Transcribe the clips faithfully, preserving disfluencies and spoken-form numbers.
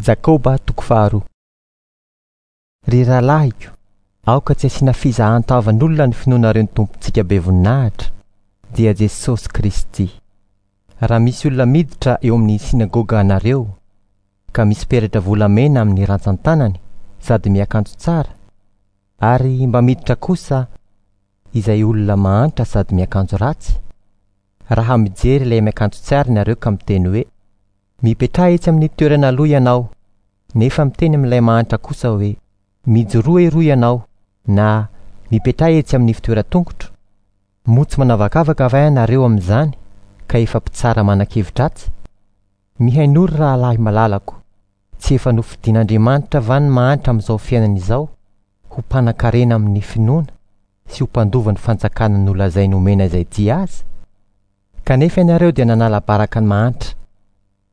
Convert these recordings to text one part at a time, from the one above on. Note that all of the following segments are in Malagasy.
Jakoba toko faharoa. Ry rahalahiko, aoka tsy asiana fizahan-tavan'olona ny finoanareo ny Tompontsika be voninahitra, dia Jesosy Kristy. Raha misy olona miditra eo amin'ny synagoga anareo, ka misy peratra volamena amin'ny rantsan-tanany sady miakanjo tsara, ary mba miditra kosa izay olona mahantra sady miakanjo ratsy, raha mijery ilay miakanjo tsara ianareo ka miteny hoe mipetraha etsy amin'ny toerana aloha ianao, nefa miteny amin'ilay mahantra kosa hoe mijoroa eroa ianao, na mipetraha etsy amin'ny fitoeran-tongotro, moa tsy manavakavaka va ianareo amin'izany ka efa mpitsara manan-kevi-dratsy? Mihainoa ry rahalahy malalako, tsy efa nofidin'Andriamanitra va ny mahantra amin'izao fiainana izao ho mpanankarena amin'ny finoana sy ho mpandova ny fanjakana nolazainy omena izay tia azy? Kanefa ianareo dia nanala baraka ny mahantra.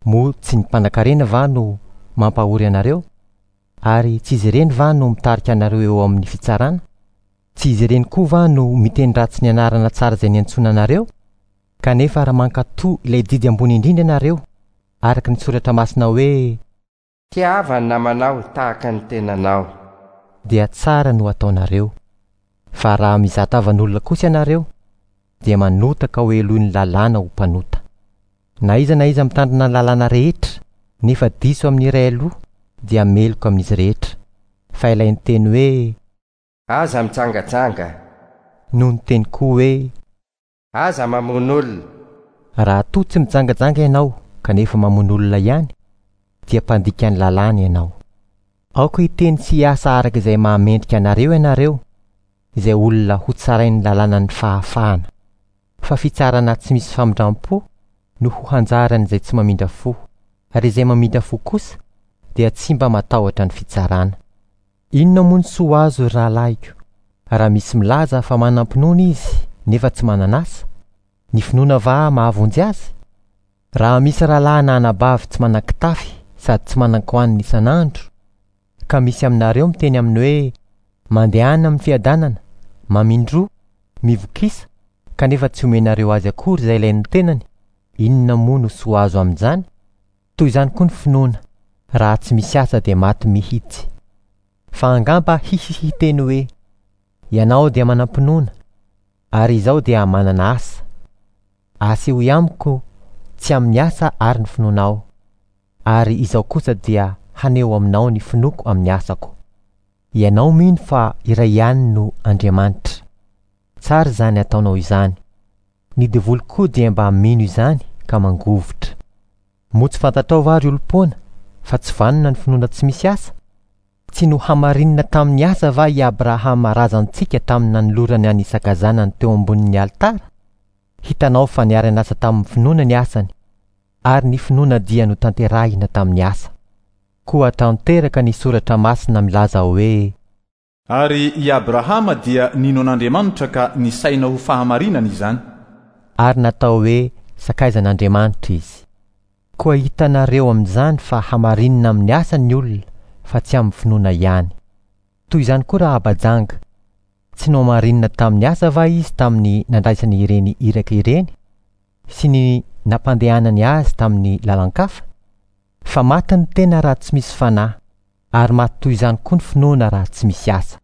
Moa tsy ny mpanankarena va no mampahory anareo? Ary tsy izy ireny va no mitarika anareo eo amin'ny fitsarana? Tsy izy ireny koa va no miteny ratsy ny anarana tsara izay niantsoana anareo? Kanefa raha mankatò ilay didy ambony indrindra ianareo, araka ny soratra masina hoe Tiava ny namanao tahaka ny tenanao, dia tsara no ataonareo. Fa raha mizaha tavan'olona kosa ianareo, dia manota ka ho helohin'ny lalàna ho mpanota. Na iza na iza mitandrina ny lalàna rehetra, nefa diso amin'ny iray aloha, dia meloka amin'izy rehetra. Fa ilay niteny hoe aza mitsangajanga, no niteny koa hoe aza mamono olona. Raha toa tsy mijangajanga ianao kanefa mamono olona ihany, dia mpandika ny lalàna ianao. Aoka hiteny sy hiasa araka izay mahamendrika anareo ianareo, izay olona ho tsarain'ny lalànan'ny fahafahana. Fa fitsarana tsy misy famindram-po no ho hanjaran'izay tsy mamindra fo, ary izay mamindra fo kosa dia tsy mba matahotra ny fitsarana. Inona moa ny soa azo ry rahalahiko, raha misy milaza fa manam-pinoana izy nefa tsy manana asa? Ny finoana va mahavonjy azy? Raha misy rahalahy na anabavy tsy manan-kitafy sady tsy manan-kohanina isan'andro, ka misy aminareo miteny aminy hoe mandehana amin'ny fiadanana, mamindroa, mivokisa, kanefa tsy omenareo azy akory izay ilain'ny tenany, inona moa no soa azo amin'izany? Toy izany koa ny finoana, raha tsy misy asa dia maty mihitsy. Fa angamba hisy hiteny hoe ianao dia manam-pinoana, ary izaho dia manana asa. Asehoy amiko tsy amin'ny asa ary ny finoanao, ary izaho kosa dia haneho aminao ny finoako amin'ny asako. Ianao mino fa iray ihany no Andriamanitra. Tsara izany ataonao izany. Ny devoly koa dia mba mino izany ka mangovitra. Moa tsy fantatrao va ry olom-poana fa tsy vanona ny finoana tsy misy asa? Tsy nohamarinina tamin'ny asa va i Abrahama razantsika tamin'ny nanolorany an'i Isaka zanany teo ambonin'ny alitara? Hitanao fa niara-niasa tamin'ny finoana ny asany, ary ny finoana dia notanterahina tamin'ny asa. Koa tanteraka ny soratra masina milaza hoe Ary i Abrahama dia nino an'Andriamanitra ka nisaina ho fahamarinana izany. Ary natao hoe sakaizan'Andriamanitra izy. Koa hitanareo amin'izany fa hamarinina amin'ny asa ny olona fa tsy amin'ny finoana ihany. Toy izany koa raha abajanga, tsy nohamarinina tamin'ny asa va izy tamin'ny nandraisany ireny iraka ireny sy ny nampandehanany azy tamin'ny lalan-kafa? Fa maty ny tena raha tsy misy fanahy, ary maty toy izany koa ny finoana raha tsy misy asa.